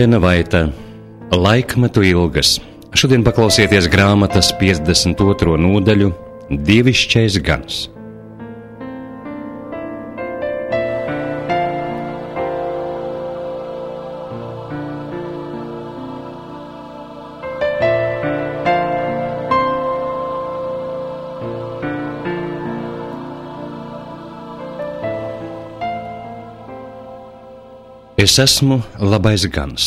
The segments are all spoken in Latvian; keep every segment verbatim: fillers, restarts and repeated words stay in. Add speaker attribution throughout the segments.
Speaker 1: Helēna Vaita, Laikmetu ilgas. Šodien paklausieties grāmatas piecdesmit otro nodaļu Dievišķais gans. Es esmu labais gans.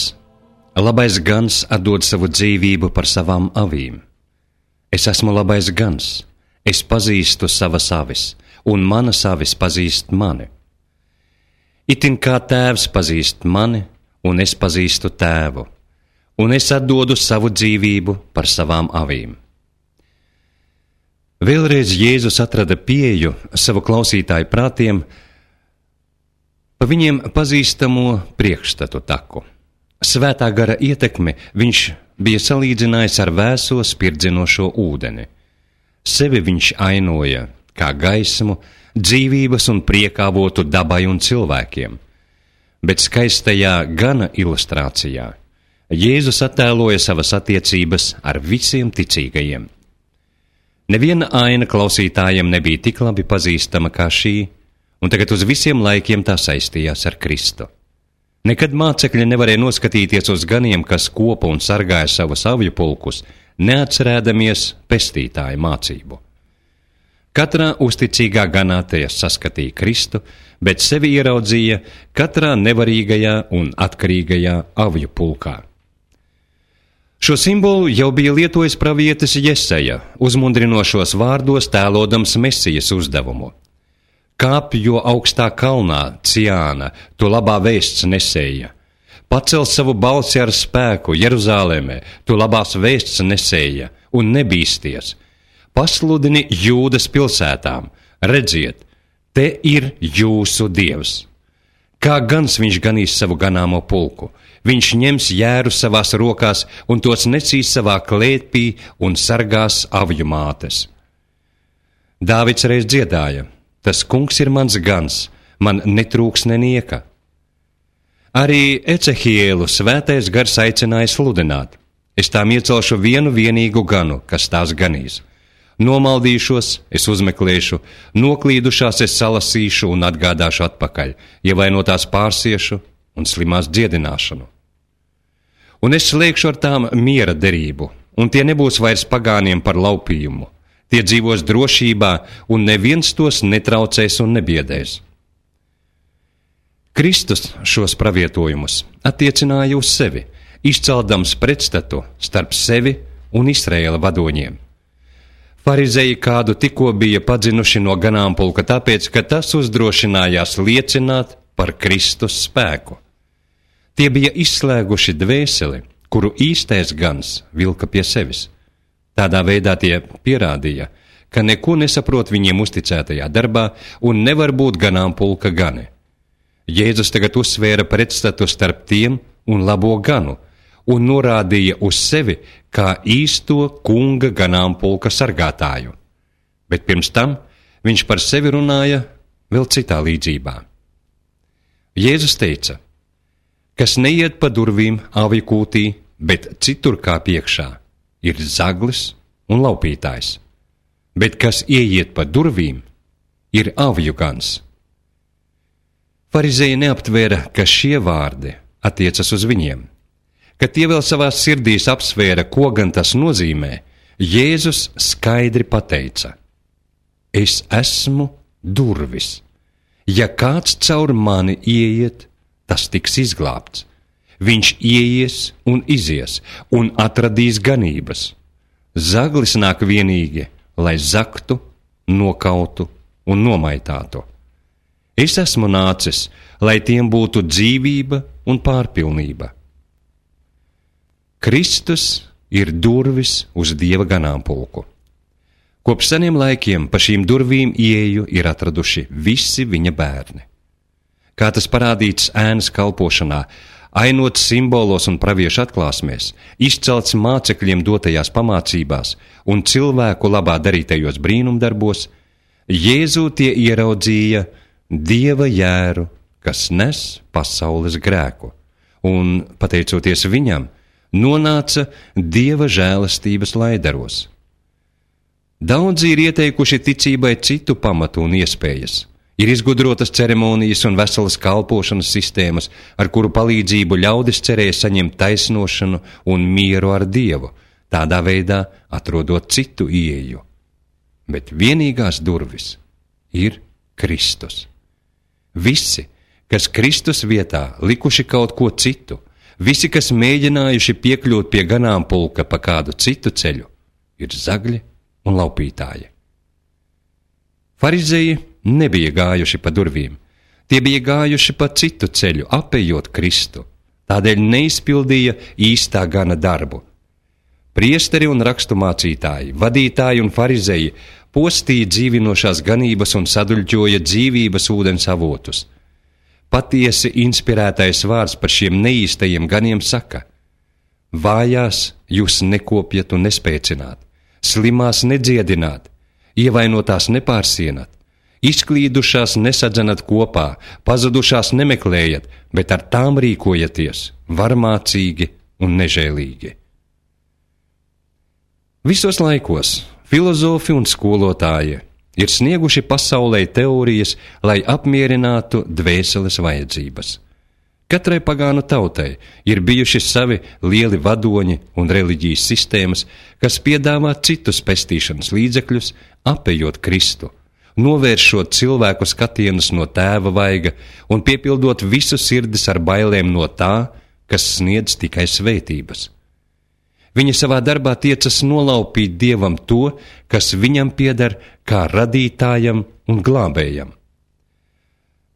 Speaker 1: Labais gans atdod savu dzīvību par savām avīm. Es esmu labais gans. Es pazīstu savas avis, un manas avis pazīst mani. Itin kā tēvs pazīst mani, un es pazīstu tēvu, un es atdodu savu dzīvību par savām avīm. Vēlreiz Jēzus atrada pieeju savu klausītāju prātiem pa viņiem pazīstamo priekšstatu taku. Svētā gara ietekmi viņš bija salīdzinājis ar vēso spirdzinošo ūdeni. Sevi viņš ainoja kā gaismu, dzīvības un priekāvotu dabai un cilvēkiem. Bet skaistajā gana ilustrācijā Jēzus attēloja savas attiecības ar visiem ticīgajiem. Neviena aina klausītājiem nebija tik labi pazīstama kā šī, un tagad uz visiem laikiem tā saistījās ar Kristu. Nekad mācekļi nevarēja noskatīties uz ganiem, kas kopa un sargāja savus avju pulkus, neatcerēdamies pestītāja mācību. Katrā uzticīgā ganātajā saskatīja Kristu, bet sevi ieraudzīja katrā nevarīgajā un atkarīgajā avju pulkā. Šo simbolu jau bija lietojis pravietis Jesaja, uzmundrinošos vārdos tēlodams Mesijas uzdevumu. Kāp jo augstā kalnā, Ciāna, tu labā vēsts nesēja. Pacel savu balsi ar spēku, Jeruzālēmē, tu labās vēsts nesēja, un nebīsties. Pasludini Jūdas pilsētām, redziet, te ir jūsu Dievs. Kā gans viņš ganīs savu ganāmo pulku, viņš ņems jēru savās rokās un tos nesīs savā klēpī un sargās avju mātes. Dāvids reiz dziedāja: Tas kungs ir mans gans, man netrūks nenieka. Arī Ecehielu svētais gars aicināja sludināt: Es tām iecelšu vienu vienīgu ganu, kas tās ganīs. Nomaldīšos, es uzmeklēšu, noklīdušās es salasīšu un atgādāšu atpakaļ, ievainotās pārsiešu un slimās dziedināšanu. Un es slēgšu ar tām miera derību, un tie nebūs vairs pagāniem par laupījumu. Tie dzīvos drošībā, un neviens tos netraucēs un nebiedēs. Kristus šos pravietojumus attiecināja uz sevi, izceldams pretstatu starp sevi un Izraēla vadoņiem. Farizeji kādu tikko bija padzinuši no ganāmpulka, tāpēc, ka tas uzdrošinājās liecināt par Kristus spēku. Tie bija izslēguši dvēseli, kuru īstais gans vilka pie sevis. Tādā veidā tie pierādīja, ka neko nesaprot viņiem uzticētajā darbā un nevar būt ganāmpulka gani. Jēzus tagad uzsvēra pretstatu starp tiem un labo ganu un norādīja uz sevi kā īsto kunga ganāmpulka sargātāju. Bet pirms tam viņš par sevi runāja vēl citā līdzībā. Jēzus teica: Kas neiet pa durvīm avju kūtī, bet citur kā piekšā, ir zaglis un laupītājs, bet kas ieiet pa durvīm, ir avju gans. Farizeji neaptvēra, ka šie vārdi attiecas uz viņiem. Kad tie vēl savās sirdīs apsvēra, ko gan tas nozīmē, Jēzus skaidri pateica: Es esmu durvis. Ja kāds caur mani ieiet, tas tiks izglābts. Viņš ieies un izies un atradīs ganības. Zaglis nāk vienīgi, lai zaktu, nokautu un nomaitātu. Es esmu nācis, lai tiem būtu dzīvība un pārpilnība. Kristus ir durvis uz Dieva ganāmpulku. Kopš seniem laikiem pa šīm durvīm ieeju ir atraduši visi viņa bērni. Kā tas parādīts ēnas kalpošanā, ainots simbolos un praviešu atklāsmēs, izcelts mācekļiem dotajās pamācībās un cilvēku labā darītajos brīnumdarbos, Jēzū tie ieraudzīja Dieva jēru, kas nes pasaules grēku, un, pateicoties viņam, nonāca Dieva žēlastības laidaros. Daudzi ir ieteikuši ticībai citu pamatu un iespējas. Ir izgudrotas ceremonijas un veselas kalpošanas sistēmas, ar kuru palīdzību ļaudis cerēja saņemt taisnošanu un mieru ar Dievu, tādā veidā atrodot citu ieeju. Bet vienīgās durvis ir Kristus. Visi, kas Kristus vietā likuši kaut ko citu, visi, kas mēģinājuši piekļūt pie ganāmpulka pa kādu citu ceļu, ir zagļi un laupītāji. Farizeji nebija gājuši pa durvīm, tie bija gājuši pa citu ceļu, apejot Kristu, tādēļ neizpildīja īstā gana darbu. Priesteri un raksturmācītāji, vadītāji un farizeji postīja dzīvinošās ganības un saduļķoja dzīvības ūdens avotus. Patiesi inspirētais vārds par šiem neīstajiem ganiem saka: vājās jūs nekopjat un nespēcināt, slimās nedziedināt, ievainotās nepārsienat, izklīdušās nesadzenat kopā, pazudušās nemeklējat, bet ar tām rīkojaties varmācīgi un nežēlīgi. Visos laikos filozofi un skolotāji ir snieguši pasaulē teorijas, lai apmierinātu dvēseles vajadzības. Katrai pagānu tautai ir bijuši savi lieli vadoņi un reliģijas sistēmas, kas piedāvā citus pestīšanas līdzekļus, apejot Kristu, novēršot cilvēku skatienus no tēva vaiga un piepildot visu sirdis ar bailēm no tā, kas sniedz tikai svētības. Viņi savā darbā tiecas nolaupīt Dievam to, kas viņam pieder kā radītājam un glābējam.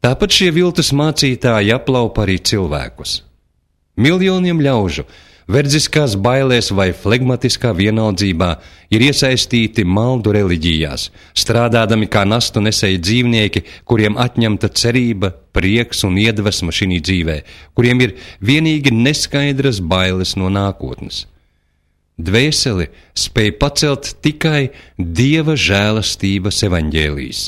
Speaker 1: Tāpat šie viltus mācītāji aplaupa arī cilvēkus. Miljoniem ļaužu verdziskās bailēs vai flegmatiskā vienaldzībā ir iesaistīti maldu reliģijās, strādādami kā nastu nesēji dzīvnieki, kuriem atņemta cerība, prieks un iedvesma šī dzīvē, kuriem ir vienīgi neskaidras bailes no nākotnes. Dvēseli spēj pacelt tikai Dieva žēlastības evaņģēlijs.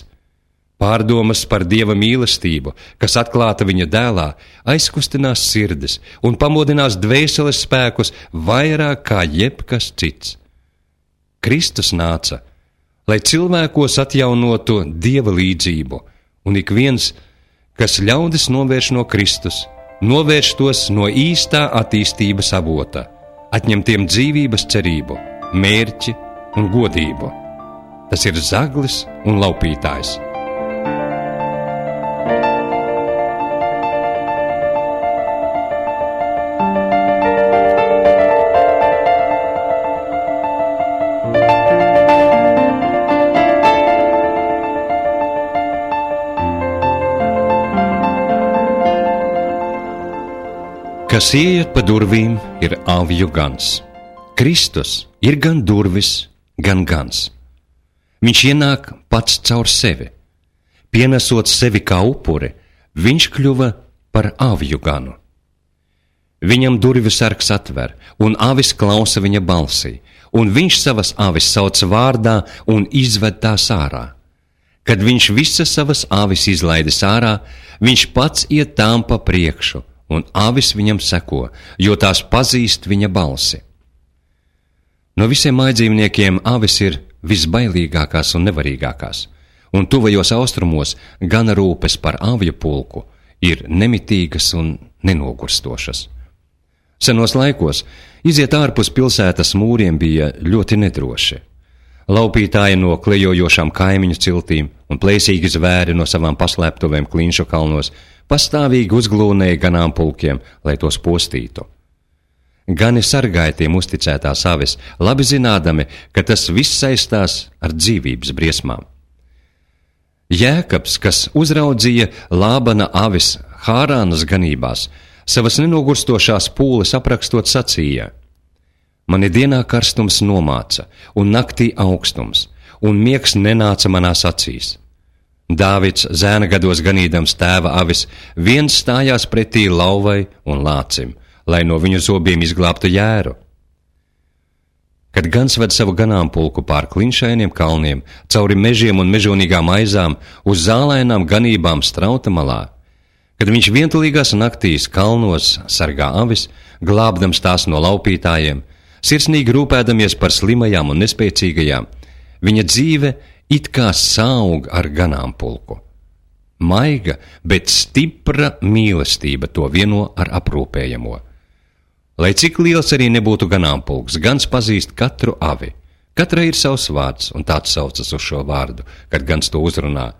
Speaker 1: Pārdomas par Dieva mīlestību, kas atklāta viņa dēlā, aizkustinās sirdis un pamodinās dvēseles spēkus vairāk kā jebkas cits. Kristus nāca, lai cilvēkos atjaunotu Dieva līdzību, un ik viens, kas ļaudis novērš no Kristus, novērš tos no īstā attīstības avota, atņem tiem dzīvības cerību, mērķi un godību. Tas ir zaglis un laupītājs. Kas ieiet pa durvīm, ir avju gans. Kristus ir gan durvis, gan gans. Viņš ienāk pats caur sevi. Pienesot sevi kā upuri, viņš kļuva par avju ganu. Viņam durvis sargs atver, un avis klausa viņa balsī, un viņš savas avis sauc vārdā un izved tās ārā. Kad viņš visas savas avis izlaidis ārā, viņš pats iet tām pa priekšu, un avis viņam seko, jo tās pazīst viņa balsi. No visiem mājdzīvniekiem avis ir visbailīgākās un nevarīgākās, un tuvajos austrumos gana rūpes par avju pulku ir nemitīgas un nenogurstošas. Senos laikos iziet ārpus pilsētas mūriem bija ļoti nedroši. Laupītāji no klejojošām kaimiņu ciltīm un plēsīgi zvēri no savām paslēptuvēm Klinšu kalnos pastāvīgi uzglūnēja ganāmpulkiem, lai tos postītu. Gani sargāja tiem uzticētās avis, labi zinādami, ka tas viss saistās ar dzīvības briesmām. Jēkabs, kas uzraudzīja Lābana avis Hārānas ganībās, savas nenogurstošās pūles aprakstot sacīja: mani dienā karstums nomāca, un naktī augstums, un miegs nenāca manās acīs. Dāvids zēna gados ganīdams tēva avis, viens stājās pretī lauvai un lācim, lai no viņu zobiem izglābtu jēru. Kad gans ved savu ganāmpulku pār klinšainiem kalniem, cauri mežiem un mežonīgām aizām, uz zālainām ganībām strauta malā, Kad viņš vientulīgās naktīs kalnos sargā avis, glābdams tās no laupītājiem, sirsnīgi rūpēdamies par slimajām un nespēcīgajām, viņa dzīve it kā saug ar ganāmpulku. Maiga, bet stipra mīlestība to vieno ar aprūpējamo. Lai cik liels arī nebūtu ganāmpulks, gans pazīst katru avi. Katrai ir savs vārds, un tāds saucas uz šo vārdu, kad gans to uzrunā.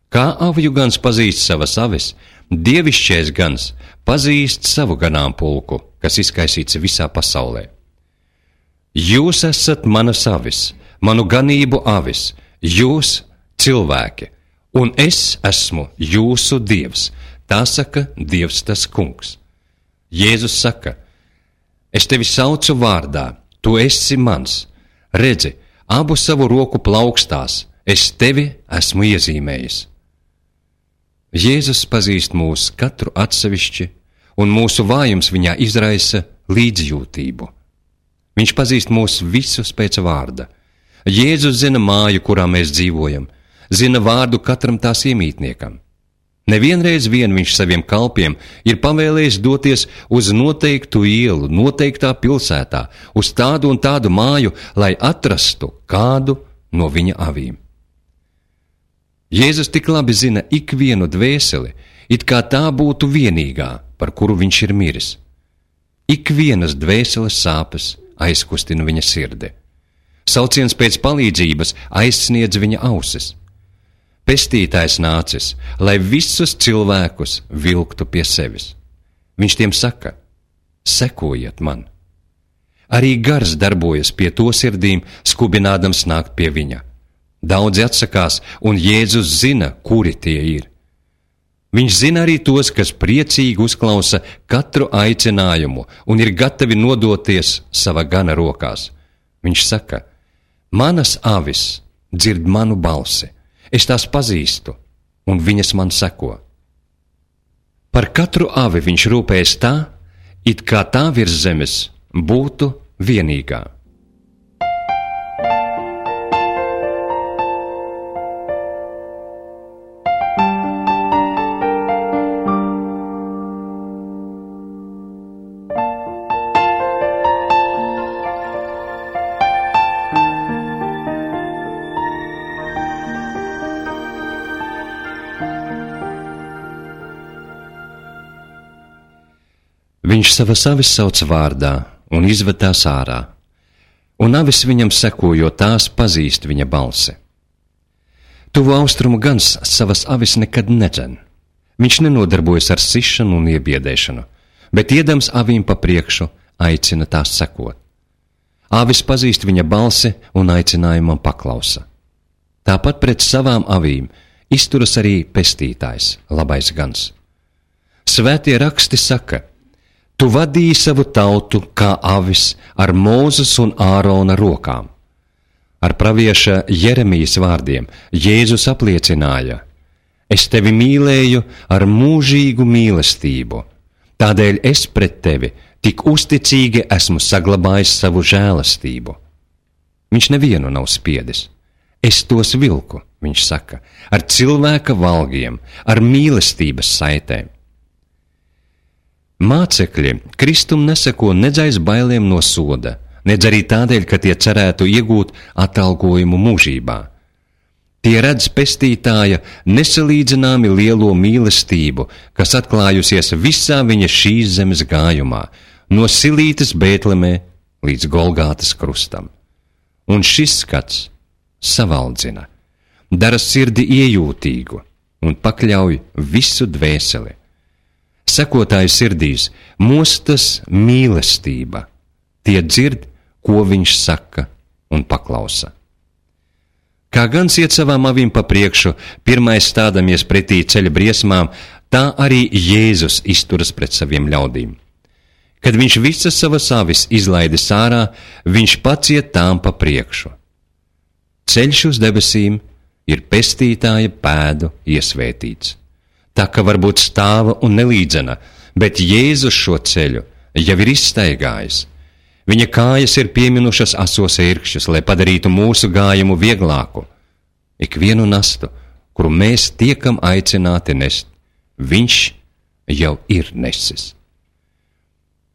Speaker 1: Kā avju gans pazīst savas avis, dievišķais gans pazīst savu ganāmpulku, kas izkaisīts visā pasaulē. Jūs esat manas avis, manu ganību avis, jūs cilvēki, un es esmu jūsu Dievs, tā saka Dievs tas kungs. Jēzus saka, es tevi saucu vārdā, tu esi mans, redzi, abu savu roku plaukstās, es tevi esmu iezīmējis. Jēzus pazīst mūs katru atsevišķi, un mūsu vājums viņā izraisa līdzjūtību. Viņš pazīst mūs visus pēc vārda. Jēzus zina māju, kurā mēs dzīvojam, zina vārdu katram tās iemītniekam. Nevienreiz vien viņš saviem kalpiem ir pavēlējis doties uz noteiktu ielu, noteiktā pilsētā, uz tādu un tādu māju, lai atrastu kādu no viņa avīm. Jēzus tik labi zina ikvienu dvēseli, it kā tā būtu vienīgā, par kuru viņš ir miris. Ikvienas dvēseles sāpes aizkustina viņa sirdi. Sauciens pēc palīdzības aizsniedz viņa ausis. Pestītājs nācis, lai visus cilvēkus vilktu pie sevis. Viņš tiem saka, sekojiet man. Arī gars darbojas pie to sirdīm, skubinādams nākt pie viņa. Daudzi atsakās, un Jēzus zina, kuri tie ir. Viņš zina arī tos, kas priecīgi uzklausa katru aicinājumu un ir gatavi nodoties sava gana rokās. Viņš saka, manas avis dzird manu balsi. Es tās pazīstu, un viņas man seko. Par katru avi viņš rūpējas tā, it kā tā virs zemes būtu vienīgā. Viņš savas avis sauc vārdā un izved tās ārā, un avis viņam seko, jo tās pazīst viņa balsi. Tuvu austrumu gans savas avis nekad nedzen. Viņš nenodarbojas ar sišanu un iebiedēšanu, bet iedams avīm pa priekšu aicina tās sekot. Avis pazīst viņa balsi un aicinājumam paklausa. Tāpat pret savām avīm izturas arī pestītājs, labais gans. Svētie raksti saka, tu vadīji savu tautu kā avis ar Mūzes un Ārona rokām. Ar pravieša Jeremijas vārdiem Jēzus apliecināja, es tevi mīlēju ar mūžīgu mīlestību, tādēļ es pret tevi tik uzticīgi esmu saglabājis savu žēlastību. Viņš nevienu nav spiedis. Es tos vilku, viņš saka, ar cilvēka valgiem, ar mīlestības saitēm. Mācekļi Kristum neseko nedz aiz bailēm no soda, nedz arī tādēļ, ka tie cerētu iegūt atalgojumu mūžībā. Tie redz pestītāja nesalīdzināmi lielo mīlestību, kas atklājusies visā viņa šīs zemes gājumā, no Silītes Bētlemē līdz Golgātas krustam. Un šis skats savaldzina, dara sirdi iejūtīgu un pakļauj visu dvēseli. Sekotāju sirdīs mostas mīlestība, tie dzird, ko viņš saka un paklausa. Kā gans iet savām avīm pa priekšu, pirmais stādamies pretī ceļa briesmām, tā arī Jēzus izturas pret saviem ļaudīm. Kad viņš visas savas avis izlaidis ārā, viņš pats iet tām pa priekšu. Ceļš uz debesīm ir pestītāja pēdu iesvētīts. Tā ka varbūt stāva un nelīdzena, bet Jēzus šo ceļu jau ir izstaigājis. Viņa kājas ir pieminušas asos ērkšķus, lai padarītu mūsu gājumu vieglāku. Ikvienu nastu, kuru mēs tiekam aicināti nest, viņš jau ir nesis.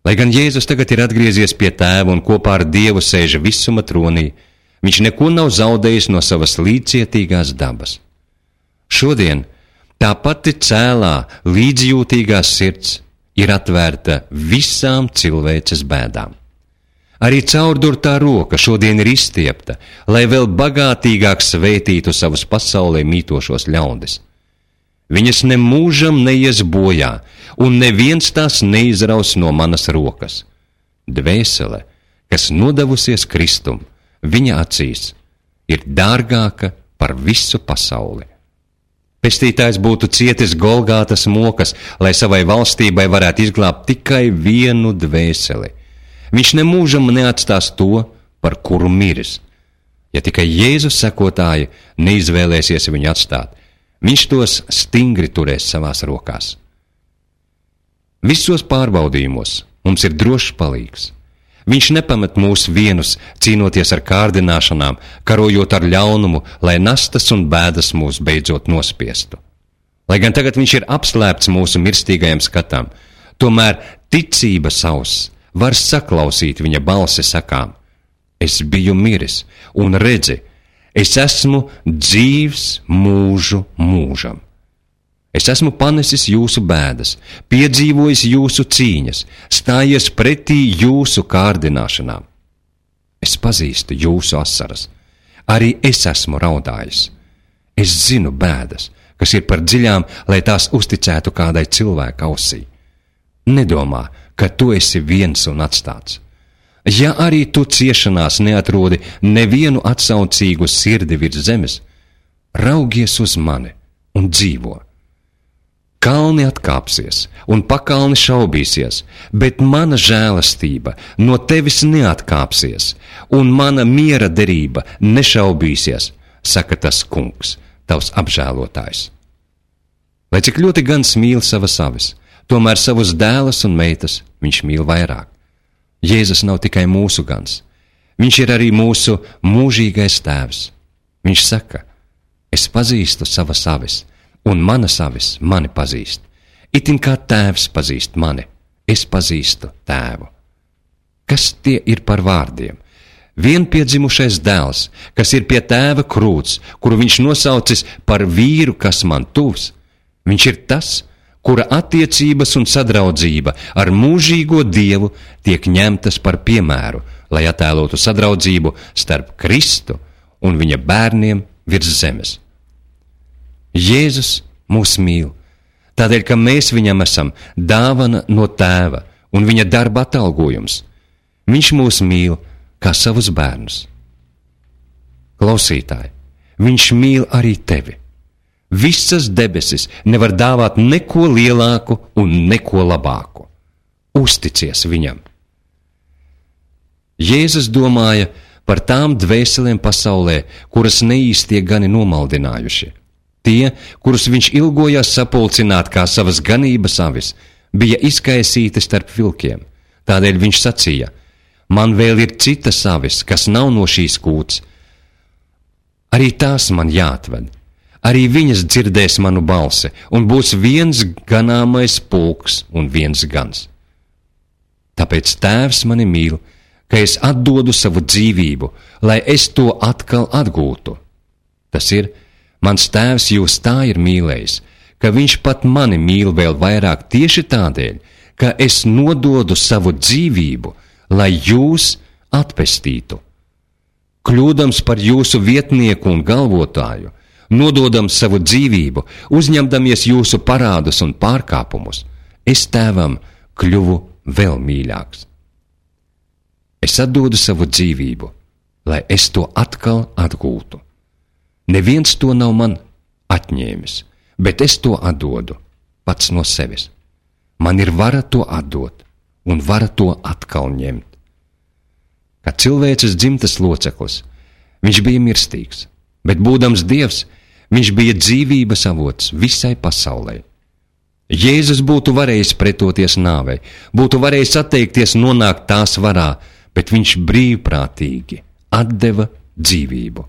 Speaker 1: Lai gan Jēzus tagad ir atgriezies pie Tēva un kopā ar Dievu sēža visuma tronī, viņš neko nav zaudējis no savas līdzcietīgās dabas. Šodien tā pati cēlā, līdzjūtīgā sirds ir atvērta visām cilvēces bēdām. Arī caurdurtā roka šodien ir izstiepta, lai vēl bagātīgāk svētītu savus pasaulē mītošos ļaudis. Viņas nemūžam neies bojā, un neviens tās neizraus no manas rokas. Dvēsele, kas nodevusies Kristum, viņa acīs, ir dārgāka par visu pasauli. Pestītājs būtu cietis Golgātas mokas, lai savai valstībai varētu izglābt tikai vienu dvēseli. Viņš nemūžam neatstās to, par kuru miris. Ja tikai Jēzus sekotāji neizvēlēsies viņu atstāt, viņš tos stingri turēs savās rokās. Visos pārbaudījumos mums ir drošs palīgs. Viņš nepamet mūs vienus, cīnoties ar kārdināšanām, karojot ar ļaunumu, lai nastas un bēdas mūs beidzot nospiestu. Lai gan tagad viņš ir apslēpts mūsu mirstīgajam skatam, tomēr ticības auss var saklausīt viņa balsi sakām: es biju miris, un redzi, es esmu dzīvs mūžu mūžam. Es esmu panesis jūsu bēdas, piedzīvojis jūsu cīņas, stājies pretī jūsu kārdināšanām. Es pazīstu jūsu asaras, arī es esmu raudājis. Es zinu bēdas, kas ir par dziļām, lai tās uzticētu kādai cilvēka ausī. Nedomā, ka tu esi viens un atstāts. Ja arī tu ciešanās neatrodi nevienu atsaucīgu sirdi virs zemes, raugies uz mani un dzīvo. Kalni atkāpsies un pakalni šaubīsies, bet mana žēlastība no tevis neatkāpsies, un mana miera derība nešaubīsies, saka tas kungs, tavs apžēlotājs. Lai cik ļoti gans mīl savas avis, tomēr savus dēlus un meitas viņš mīl vairāk. Jēzus nav tikai mūsu gans, viņš ir arī mūsu mūžīgais tēvs. Viņš saka: es pazīstu savas avis, un manas avis mani pazīst. Itin kā tēvs pazīst mani, es pazīstu tēvu. Kas tie ir par vārdiem? Vienpiedzimušais dēls, kas ir pie tēva krūts, kuru viņš nosaucis par vīru, kas man tuvs, viņš ir tas, kura attiecības un sadraudzība ar mūžīgo Dievu tiek ņemtas par piemēru, lai attēlotu sadraudzību starp Kristu un viņa bērniem virs zemes. Jēzus mūs mīl, tādēļ, ka mēs viņam esam dāvana no tēva un viņa darba atalgojums. Viņš mūs mīl kā savus bērnus. Klausītāji, viņš mīl arī tevi. Visas debesis nevar dāvāt neko lielāku un neko labāku. Uzticies viņam. Jēzus domāja par tām dvēselēm pasaulē, kuras neīstie gani nomaldinājuši. Tie, kurus viņš ilgojās sapulcināt kā savas ganības avis, bija izkaisīti starp vilkiem. Tādēļ viņš sacīja: man vēl ir citas avis, kas nav no šīs kūts. Arī tās man jāatved. Arī viņas dzirdēs manu balsi, un būs viens ganāmais pulks un viens gans. Tāpēc tēvs mani mīl, ka es atdodu savu dzīvību, lai es to atkal atgūtu. Tas ir, mans tēvs jūs tā ir mīlējis, ka viņš pat mani mīl vēl vairāk tieši tādēļ, ka es nododu savu dzīvību, lai jūs atpestītu. Kļūdams par jūsu vietnieku un galvotāju, nododams savu dzīvību, uzņemdamies jūsu parādus un pārkāpumus, es tēvam kļuvu vēl mīļāks. Es atdodu savu dzīvību, lai es to atkal atgūtu. Neviens to nav man atņēmis, bet es to atdodu pats no sevis. Man ir vara to atdot un vara to atkal ņemt. Kā cilvēces dzimtas loceklis, viņš bija mirstīgs, bet būdams Dievs, viņš bija dzīvības avots visai pasaulē. Jēzus būtu varējis pretoties nāvei, būtu varējis atteikties nonākt tās varā, bet viņš brīvprātīgi atdeva dzīvību,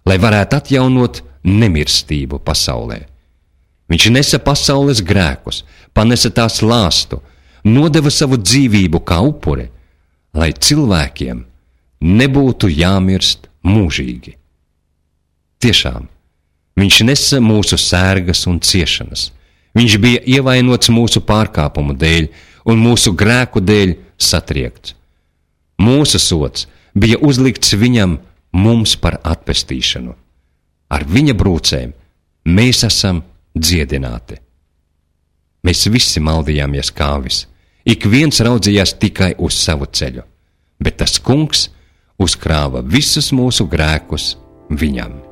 Speaker 1: lai varētu atjaunot nemirstību pasaulē. Viņš nesa pasaules grēkus, panesa tās lāstu, nodeva savu dzīvību kā upuri, lai cilvēkiem nebūtu jāmirst mūžīgi. Tiešām, viņš nesa mūsu sērgas un ciešanas. Viņš bija ievainots mūsu pārkāpumu dēļ un mūsu grēku dēļ satriekts. Mūsu sods bija uzlikts viņam mums par atpestīšanu. Ar viņa brūcēm mēs esam dziedināti. Mēs visi maldījāmies kā avis, ik viens raudzījās tikai uz savu ceļu, bet tas kungs uzkrāva visus mūsu grēkus viņam.